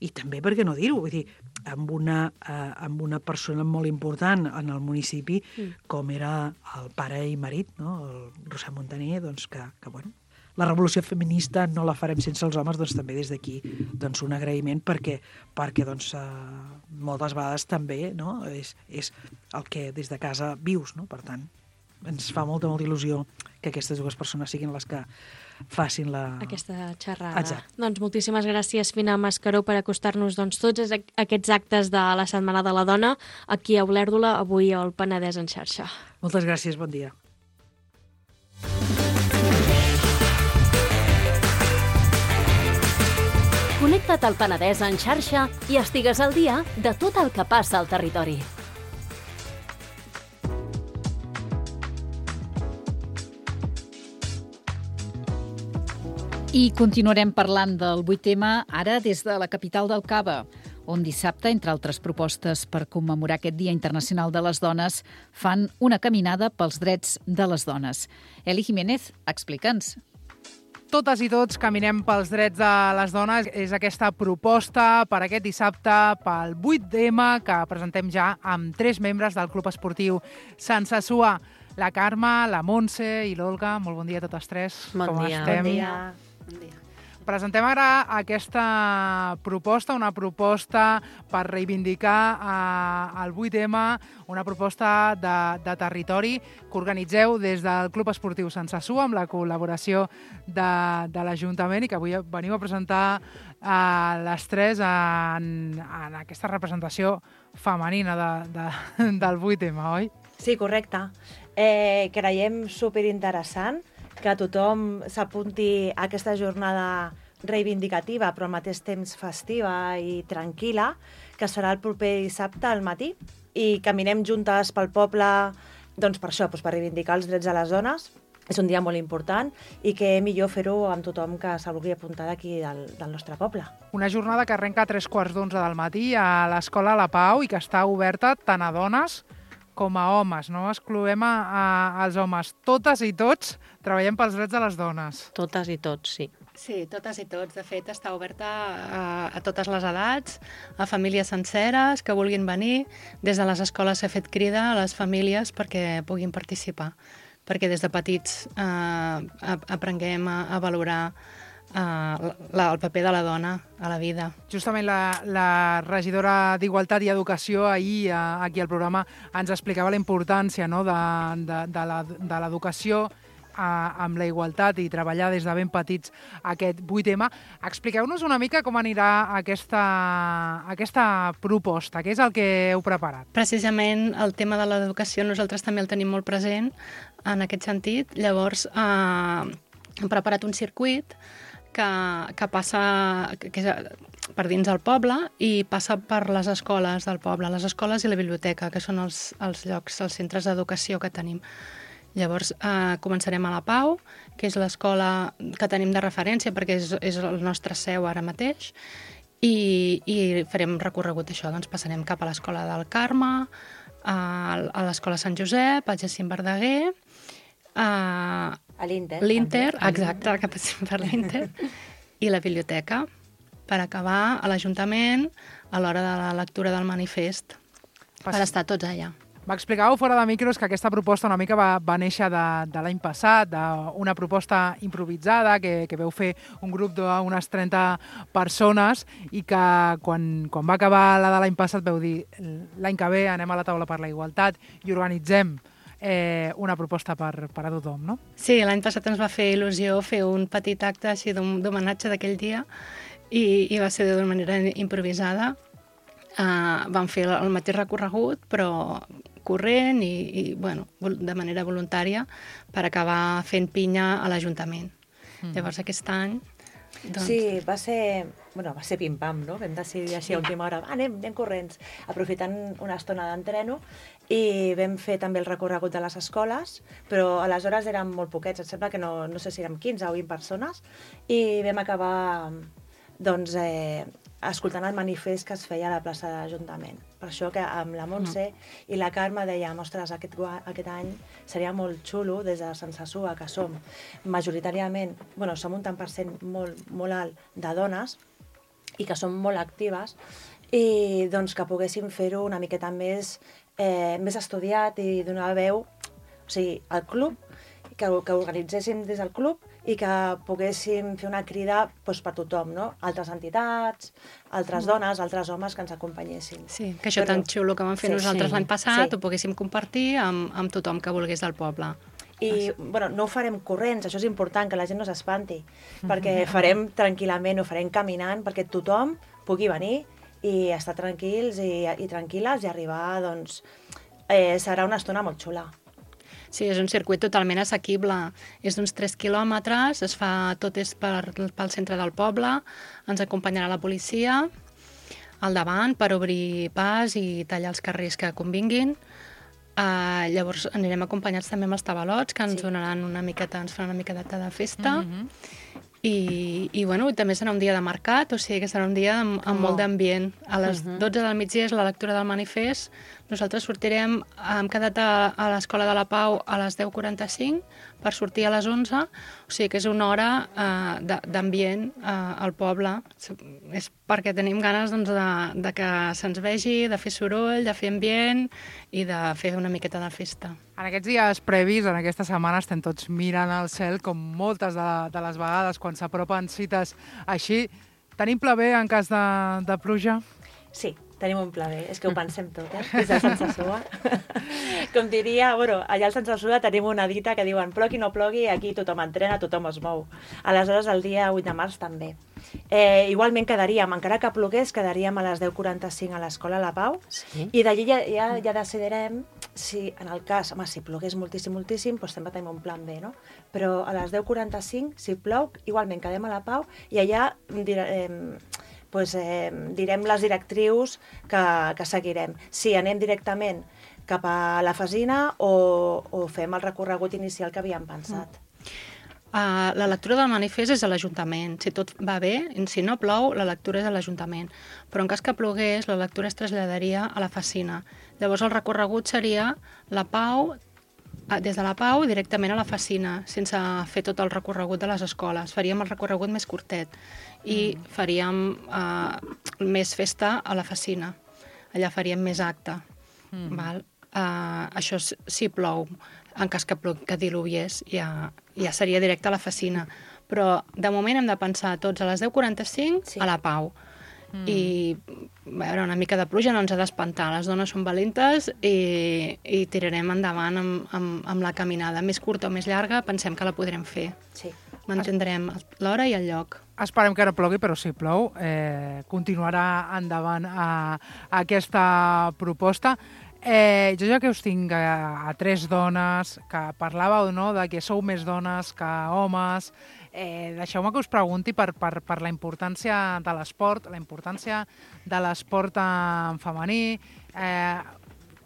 i també, per què no dir-ho, vull dir, amb una persona molt important en el municipi, com era el pare i marit, no? El Roser Montaner, doncs que bueno, la revolució feminista no la farem sense els homes, doncs també des d'aquí doncs, un agraïment perquè doncs, moltes vegades també, no? És el que des de casa vius, no? Per tant, ens fa molta il·lusió que aquestes dues persones siguin les que facin aquesta xerrada. Exacte. Doncs moltíssimes gràcies, Fina Mascaró, per acostar-nos tots aquests actes de la Setmana de la Dona aquí a Olèrdola, avui al Penedès en xarxa. Moltes gràcies, bon dia. Connecta't al Penedès en xarxa i estigues al dia de tot el que passa al territori. I continuarem parlant del 8M ara des de la capital del Cava, on dissabte, entre altres propostes per commemorar aquest Dia Internacional de les Dones, fan una caminada pels drets de les dones. Eli Jiménez, explica'ns. Totes i tots caminem pels drets de les dones. És aquesta proposta per aquest dissabte, pel 8M, que presentem ja amb 3 membres del Club Esportiu Sant Sassua. La Carme, la Montse i l'Olga. Molt bon dia a totes 3. Bon dia. Estem? Bon dia. Presentem ara aquesta proposta, una proposta per reivindicar el 8M, una proposta de territori que organitzeu des del Club Esportiu Sant Sassua amb la col·laboració de l'Ajuntament i que avui veniu a presentar les 3 en aquesta representació femenina del 8M, oi? Sí, correcte. Creiem superinteressant que tothom s'apunti a aquesta jornada reivindicativa, però al mateix temps festiva i tranquil·la, que serà el proper dissabte al matí, i caminem juntes pel poble, doncs per això, per reivindicar els drets de les dones. És un dia molt important i que millor fer-ho amb tothom que s'ha vulgui apuntar d'aquí del nostre poble. Una jornada que arrenca a 3:15 del matí a l'Escola La Pau i que està oberta tant a dones com a homes, no excloem als homes. Totes i tots treballem pels drets de les dones. Totes i tots, sí. Sí, totes i tots. De fet, està oberta a totes les edats, a famílies senceres que vulguin venir. Des de les escoles s'ha fet crida a les famílies perquè puguin participar, perquè des de petits aprenguem a valorar el paper de la dona a la vida. Justament la regidora d'Igualtat i Educació ahir aquí al programa ens explicava la importància, no, de l'educació amb la igualtat i treballar des de ben petits aquest 8M. Expliqueu-nos una mica com anirà aquesta proposta, què és el que heu preparat? Precisament el tema de l'educació nosaltres també el tenim molt present en aquest sentit. Llavors hem preparat un circuit que passa per dins del poble i passa per les escoles del poble, les escoles i la biblioteca, que són els llocs, els centres d'educació que tenim. Llavors començarem a La Pau, que és l'escola que tenim de referència perquè és el nostre seu ara mateix, i farem recorregut això. Doncs passarem cap a l'escola del Carme, a l'escola Sant Josep, a Jacint Verdaguer, a l'Inter, exacte, que passem per l'Inter, i la biblioteca, per acabar a l'Ajuntament a l'hora de la lectura del manifest, per estar tots allà. M'explicàveu fora de micros que aquesta proposta una mica va néixer de l'any passat, d'una proposta improvisada que veu fer un grup d'unes 30 persones i que quan va acabar la de l'any passat veu dir l'any que ve anem a la taula per la igualtat i organitzem una proposta per a tothom, no? Sí, l'any passat ens va fer il·lusió fer un petit acte així d'homenatge d'aquell dia i va ser d'una manera improvisada. Vam fer el mateix recorregut, però corrent i de manera voluntària per acabar fent pinya a l'Ajuntament. Llavors aquest any... Sí, va ser pim-pam, no? Vam decidir així a última hora, anem corrents, aprofitant una estona d'entreno, i vam fer també el recorregut de les escoles, però aleshores érem molt poquets, em sembla que no sé si érem 15 o 20 persones, i vam acabar escoltant el manifest que es feia a la plaça de l'Ajuntament. Per això que amb la Montse i la Carme dèiem, ostres, aquest any seria molt xulo des de Sant Sassua, que som majoritàriament, som un tant per cent molt alt de dones i que som molt actives, i doncs que poguéssim fer-ho una miqueta més estudiat i donar veu, o sigui, al club, que organitzéssim des del club i que poguéssim fer una crida doncs, per tothom, no? Altres entitats, altres dones, altres homes que ens acompanyessin. Sí, que això tan xulo que vam fer nosaltres l'any passat ho poguéssim compartir amb tothom que volgués del poble. I bueno, no ho farem corrents, això és important, que la gent no s'espanti, perquè farem tranquil·lament, ho farem caminant, perquè tothom pugui venir i estar tranquils i tranquil·les i arribar, doncs, serà una estona molt xula. Sí, és un circuit totalment assequible. És d'uns 3 quilòmetres, tot és pel centre del poble, ens acompanyarà la policia al davant per obrir pas i tallar els carrers que convinguin. Llavors anirem acompanyats també amb els tabalots, que ens donaran ens faran una miqueta de festa. I bueno, també serà un dia de mercat, o sigui que serà un dia amb molt d'ambient. A les 12 del migdia és la lectura del manifest. Nosaltres sortirem, hem quedat a l'Escola de la Pau a les 10:45 per sortir a les 11, o sigui que és una hora d'ambient al poble. És perquè tenim ganes de que se'ns vegi, de fer soroll, de fer ambient i de fer una miqueta de festa. En aquests dies previs, en aquesta setmana, estem tots mirant al cel, com moltes de les vegades quan s'apropen cites així. Tenim pla B en cas de pluja? Sí, tenim un pla B. És que ho pensem tot, des de Sant Sassua. Com diria, bueno, allà al Sant Sassua tenim una dita que diuen plogui no plogui, aquí tothom entrena, tothom es mou. Aleshores, el dia 8 de març també. Igualment quedaríem, encara que plogués, quedaríem a les 10:45 a l'Escola La Pau, i d'allí ja decidirem si, en el cas, si plogués moltíssim, doncs sempre tenim un plan B, no? Però a les 10:45, si plou, igualment quedem a La Pau, i allà direm les directrius que seguirem. Si anem directament cap a la Fesina o fem el recorregut inicial que havíem pensat. La lectura del manifest és a l'Ajuntament. Si tot va bé, si no plou, la lectura és a l'Ajuntament. Però en cas que plogués, la lectura es traslladaria a la Fesina. Llavors el recorregut seria La Pau, des de La Pau directament a la Fesina, sense fer tot el recorregut de les escoles. Faríem el recorregut més curtet i faríem més festa a la Fesina. Allà faríem més acte. Això si plou. En cas que diluviés, ja seria directe a la Fesina. Però de moment hem de pensar tots a les 10:45 a La Pau. I veure, una mica de pluja no ens ha d'espantar. Les dones són valentes i tirarem endavant amb la caminada. Més curta o més llarga, pensem que la podrem fer. Mantindrem l'hora i el lloc. Esperem que no plogui, però si plou, continuarà endavant aquesta proposta. Jo ja que us tinc a 3 dones, que parlàveu de que sou més dones que homes, deixeu-me que us pregunti per la importància de l'esport, la importància de l'esport en femení.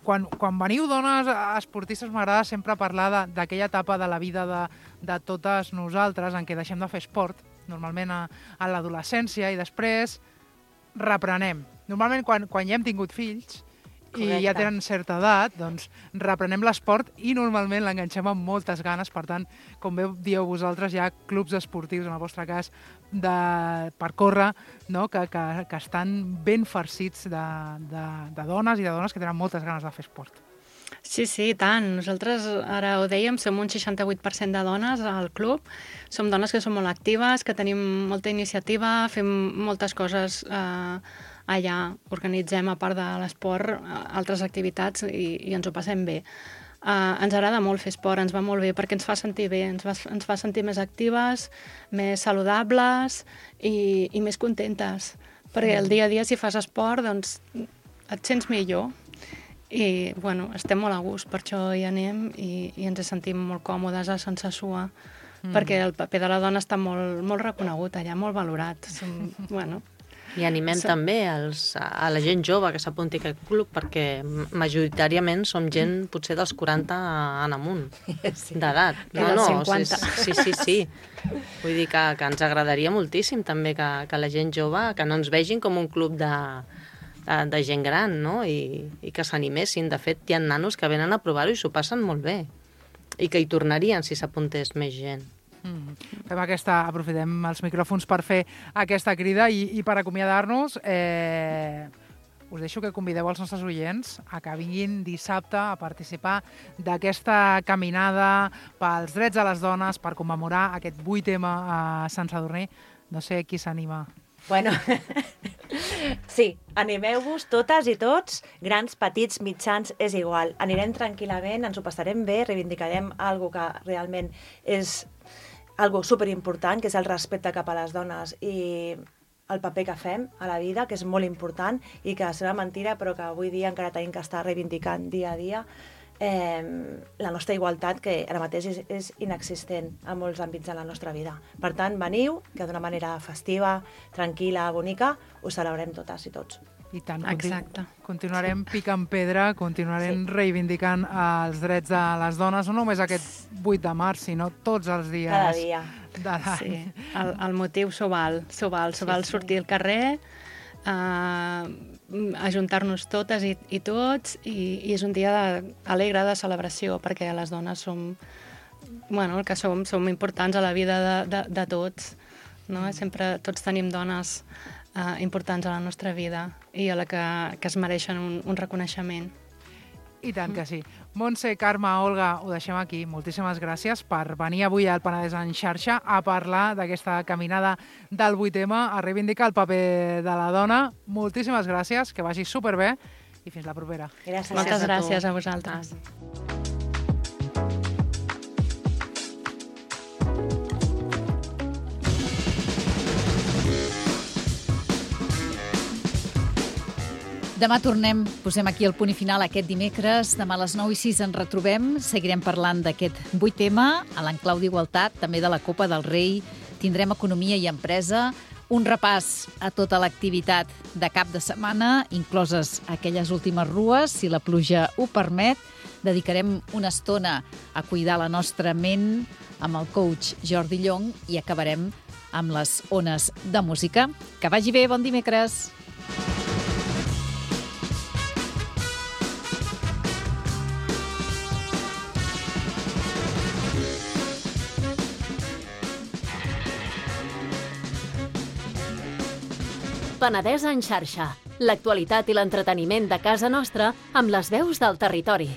Quan veniu dones esportistes, m'agrada sempre parlar d'aquella etapa de la vida de totes nosaltres en què deixem de fer esport, normalment a l'adolescència, i després reprenem. Normalment quan ja hem tingut fills, i ja tenen certa edat, doncs reprenem l'esport i normalment l'enganxem amb moltes ganes. Per tant, com bé dieu vosaltres, hi ha clubs esportius, en el vostre cas, per córrer, que estan ben farcits de dones i de dones que tenen moltes ganes de fer esport. Sí, i tant. Nosaltres, ara ho dèiem, som un 68% de dones al club. Som dones que som molt actives, que tenim molta iniciativa, fem moltes coses allà, organitzem, a part de l'esport, altres activitats i ens ho passem bé. Ens agrada molt fer esport, ens va molt bé perquè ens fa sentir bé, ens fa sentir més actives, més saludables i més contentes. Perquè el dia a dia, si fas esport, doncs et sents millor. I, bueno, estem molt a gust, per això hi anem i ens sentim molt còmodes a Sant Sassua, perquè el paper de la dona està molt reconegut allà, molt valorat. I animem també a la gent jove que s'apunti a aquest club, perquè majoritàriament som gent potser dels 40 en amunt d'edat. No, 50. Sí. Vull dir que ens agradaria moltíssim també que la gent jove, que no ens vegin com un club de gent gran, no? I que s'animessin. De fet, hi ha nanos que venen a provar-ho i s'ho passen molt bé. I que hi tornarien si s'apuntés més gent. Aprofitem els micròfons per fer aquesta crida i per acomiadar-nos, us deixo que convideu els nostres oients a que vinguin dissabte a participar d'aquesta caminada pels drets de les dones per commemorar aquest 8M a Sant Sadurní. No sé qui s'anima. Bueno, sí, animeu-vos totes i tots, grans, petits, mitjans, és igual. Anirem tranquil·lament, ens ho passarem bé, reivindicarem algo que realment és algo superimportant, que és el respecte cap a les dones i el paper que fem a la vida, que és molt important i que serà mentira, però que avui dia encara tenim que estar reivindicant dia a dia la nostra igualtat, que ara mateix és inexistent en molts àmbits de la nostra vida. Per tant, veniu, que d'una manera festiva, tranquil·la, bonica, ho celebrem totes i tots. I tant, Exacte. Continuarem picant pedra, continuarem reivindicant els drets de les dones, no només aquest 8 de març, sinó tots els dies Cada dia. de l'any. Sí, el motiu s'ho val sortir al carrer, ajuntar-nos totes i tots, i és un dia alegre de celebració, perquè les dones som, el que som importants a la vida de tots, no? Sempre tots tenim dones importants a la nostra vida i a la que es mereixen un reconeixement. I tant que sí. Montse, Carme, Olga, ho deixem aquí. Moltíssimes gràcies per venir avui al Penedès en xarxa a parlar d'aquesta caminada del 8M, a reivindicar el paper de la dona. Moltíssimes gràcies, que vagi superbé i fins la propera. Gràcies. Moltes gràcies a vosaltres. Demà tornem, posem aquí el punt i final aquest dimecres. Demà a les 9:06 ens retrobem. Seguirem parlant d'aquest 8M, a l'enclau d'Igualtat, també de la Copa del Rei. Tindrem economia i empresa, un repàs a tota l'activitat de cap de setmana, incloses aquelles últimes rues, si la pluja ho permet. Dedicarem una estona a cuidar la nostra ment amb el coach Jordi Llong i acabarem amb les ones de música. Que vagi bé, bon dimecres! Penedès en xarxa. L'actualitat i l'entreteniment de casa nostra amb les veus del territori.